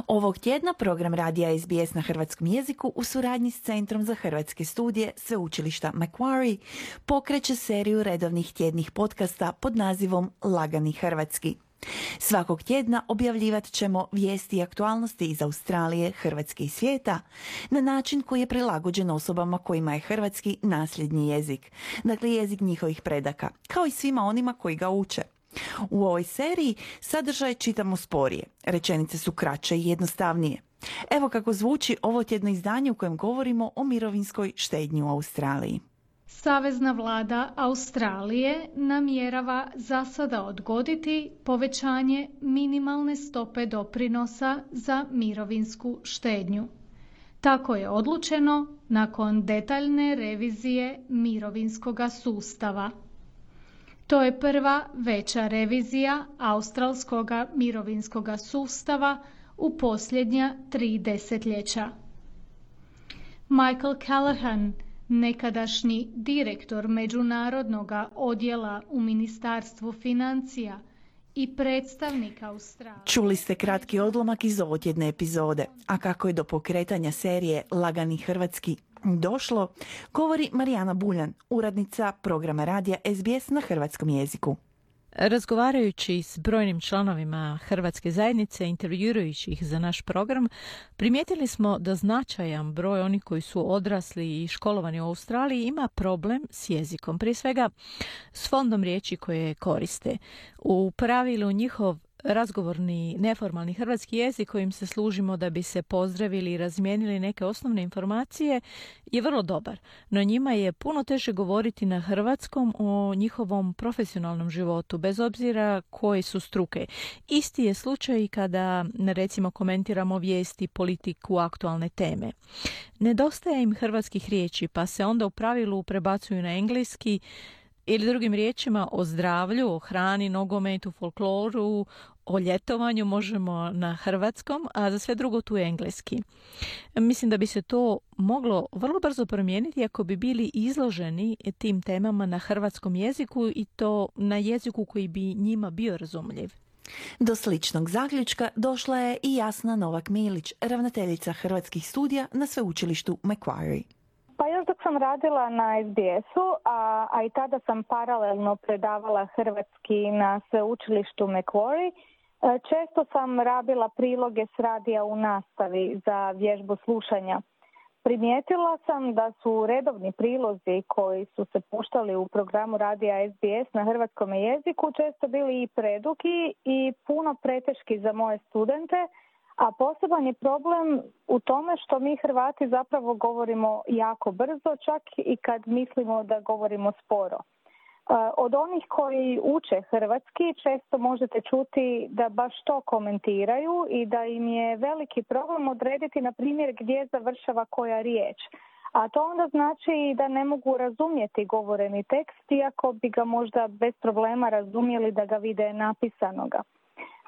Ovog tjedna program radija SBS na hrvatskom jeziku u suradnji s Centrom za hrvatske studije Sveučilišta Macquarie pokreće seriju redovnih tjednih podcasta pod nazivom Lagani hrvatski. Svakog tjedna objavljivat ćemo vijesti i aktualnosti iz Australije, Hrvatske i svijeta na način koji je prilagođen osobama kojima je hrvatski nasljedni jezik, dakle jezik njihovih predaka, kao i svima onima koji ga uče. U ovoj seriji sadržaj čitamo sporije, rečenice su kraće i jednostavnije. Evo kako zvuči ovo tjedno izdanje u kojem govorimo o mirovinskoj štednji u Australiji. Savezna vlada Australije namjerava za sada odgoditi povećanje minimalne stope doprinosa za mirovinsku štednju. Tako je odlučeno nakon detaljne revizije mirovinskoga sustava. To je prva veća revizija australskoga mirovinskoga sustava u posljednja 3 desetljeća. Michael Callaghan, nekadašnji direktor međunarodnog odjela u Ministarstvu financija i predstavnik Australije. Čuli ste kratki odlomak iz ovotjedne epizode, a kako je do pokretanja serije Lagani hrvatski došlo, govori Marijana Buljan, urednica programa radija SBS na hrvatskom jeziku. Razgovarajući s brojnim članovima hrvatske zajednice, intervjuirajući ih za naš program, primijetili smo da značajan broj onih koji su odrasli i školovani u Australiji ima problem s jezikom. Prije svega s fondom riječi koje koriste. U pravilu njihov razgovorni, neformalni hrvatski jezik kojim se služimo da bi se pozdravili i razmijenili neke osnovne informacije je vrlo dobar, no njima je puno teže govoriti na hrvatskom o njihovom profesionalnom životu, bez obzira koje su struke. Isti je slučaj kada, recimo, komentiramo vijesti, politiku, aktualne teme. Nedostaje im hrvatskih riječi, pa se onda u pravilu prebacuju na engleski, ili drugim riječima o zdravlju, o hrani, nogometu, folkloru, o ljetovanju možemo na hrvatskom, a za sve drugo tu je engleski. Mislim da bi se to moglo vrlo brzo promijeniti ako bi bili izloženi tim temama na hrvatskom jeziku i to na jeziku koji bi njima bio razumljiv. Do sličnog zaključka došla je i Jasna Novak-Milić, ravnateljica hrvatskih studija na sveučilištu Macquarie. Pa još dok sam radila na SBS-u, a i tada sam paralelno predavala hrvatski na sveučilištu Macquarie, često sam rabila priloge s radija u nastavi za vježbu slušanja. Primijetila sam da su redovni prilozi koji su se puštali u programu radija SBS na hrvatskom jeziku često bili i predugi i puno preteški za moje studente, a poseban je problem u tome što mi Hrvati zapravo govorimo jako brzo, čak i kad mislimo da govorimo sporo. Od onih koji uče hrvatski često možete čuti da baš to komentiraju i da im je veliki problem odrediti, na primjer, gdje završava koja riječ. A to onda znači da ne mogu razumjeti govoreni tekst, iako bi ga možda bez problema razumjeli da ga vide napisanoga.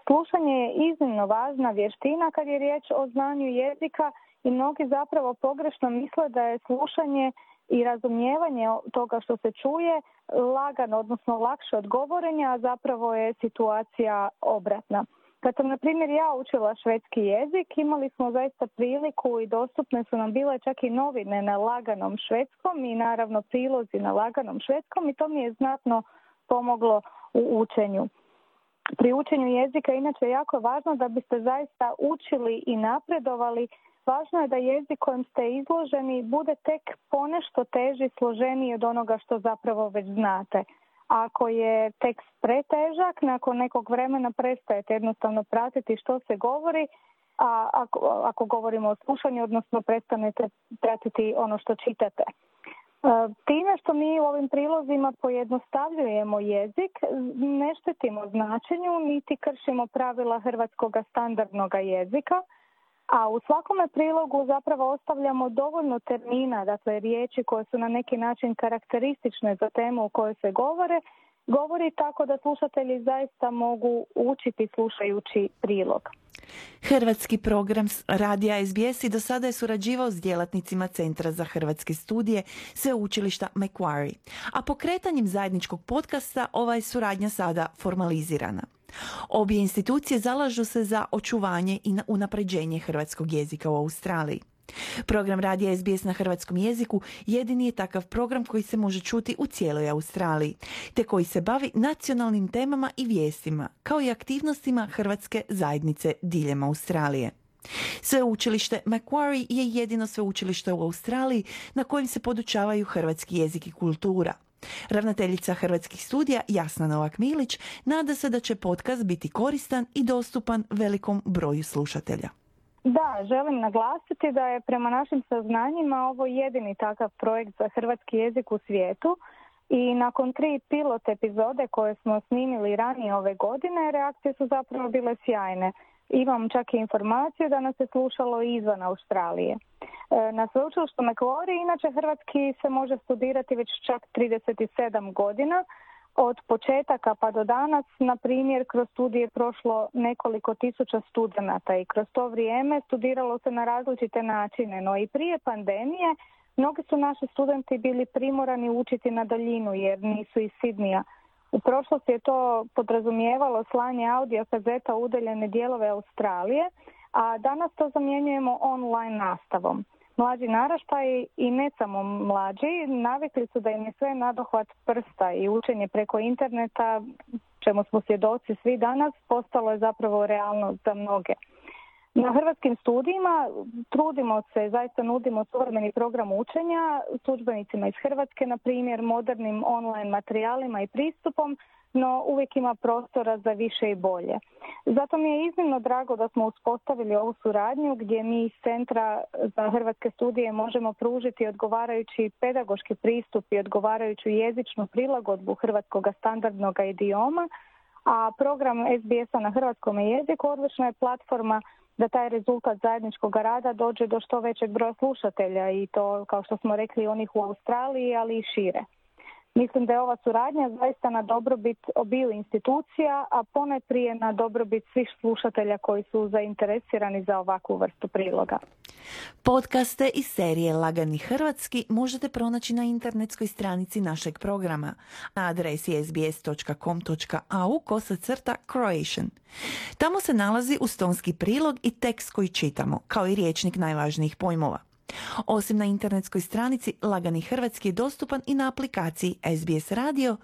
Slušanje je iznimno važna vještina kad je riječ o znanju jezika i mnogi zapravo pogrešno misle da je slušanje i razumijevanje toga što se čuje lagano, odnosno lakše od govorenja, a zapravo je situacija obratna. Kad sam, na primjer, ja učila švedski jezik, imali smo zaista priliku i dostupne su nam bile čak i novine na laganom švedskom i naravno prilozi na laganom švedskom i to mi je znatno pomoglo u učenju. Pri učenju jezika inače je jako važno da biste zaista učili i napredovali. Važno je da jezik kojim ste izloženi bude tek ponešto teži, složeniji od onoga što zapravo već znate. Ako je tekst pretežak, nakon nekog vremena prestajete jednostavno pratiti što se govori, a ako govorimo o slušanju, odnosno prestanete pratiti ono što čitate. Time što mi u ovim prilozima pojednostavljujemo jezik, ne štetimo značenju, niti kršimo pravila hrvatskog standardnog jezika, a u svakome prilogu zapravo ostavljamo dovoljno termina, dakle riječi koje su na neki način karakteristične za temu u kojoj se govori tako da slušatelji zaista mogu učiti slušajući prilog. Hrvatski program radija SBS i do sada je surađivao s djelatnicima Centra za hrvatske studije Sveučilišta Macquarie, a pokretanjem zajedničkog podcasta ova je suradnja sada formalizirana. Obje institucije zalažu se za očuvanje i unapređenje hrvatskog jezika u Australiji. Program radija SBS na hrvatskom jeziku jedini je takav program koji se može čuti u cijeloj Australiji, te koji se bavi nacionalnim temama i vijestima, kao i aktivnostima hrvatske zajednice diljem Australije. Sveučilište Macquarie je jedino sveučilište u Australiji na kojem se podučavaju hrvatski jezik i kultura. Ravnateljica Hrvatskih studija Jasna Novak-Milić nada se da će podcast biti koristan i dostupan velikom broju slušatelja. Da, želim naglasiti da je prema našim saznanjima ovo jedini takav projekt za hrvatski jezik u svijetu i nakon 3 pilot epizode koje smo snimili ranije ove godine, reakcije su zapravo bile sjajne. Imam čak i informaciju da nas je slušalo i izvan Australije. Na sveučilištu Macquarie inače hrvatski se može studirati već čak 37 godina. Od početaka pa do danas, na primjer, kroz studije je prošlo nekoliko tisuća studenata i kroz to vrijeme studiralo se na različite načine, no i prije pandemije mnogi su naši studenti bili primorani učiti na daljinu jer nisu iz Sidnija. U prošlosti je to podrazumijevalo slanje audio kazeta u udaljene dijelove Australije, a danas to zamjenjujemo online nastavom. Mlađi naraštaji i ne samo mlađi navikli su da im je sve nadohvat prsta i učenje preko interneta, čemu smo svjedoci svi danas, postalo je zapravo realnost za mnoge. Na hrvatskim studijima trudimo se, zaista nudimo suvremeni program učenja s udžbenicima iz Hrvatske, na primjer modernim online materijalima i pristupom, no uvijek ima prostora za više i bolje. Zato mi je iznimno drago da smo uspostavili ovu suradnju gdje mi iz Centra za hrvatske studije možemo pružiti odgovarajući pedagoški pristup i odgovarajuću jezičnu prilagodbu hrvatskog standardnog idioma, a program SBS-a na hrvatskom jeziku odlična je platforma da taj rezultat zajedničkog rada dođe do što većeg broja slušatelja i to, kao što smo rekli, onih u Australiji, ali i šire. Mislim da je ova suradnja zaista na dobrobit obiju institucija, a ponajprije na dobrobit svih slušatelja koji su zainteresirani za ovakvu vrstu priloga. Podcaste iz serije Lagani hrvatski možete pronaći na internetskoj stranici našeg programa na adresi sbs.com.au/Croatian. Tamo se nalazi ustonski prilog i tekst koji čitamo, kao i rječnik najvažnijih pojmova. Osim na internetskoj stranici, Lagani hrvatski je dostupan i na aplikaciji SBS Radio,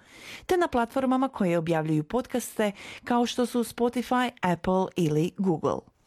te na platformama koje objavljuju podcaste kao što su Spotify, Apple ili Google.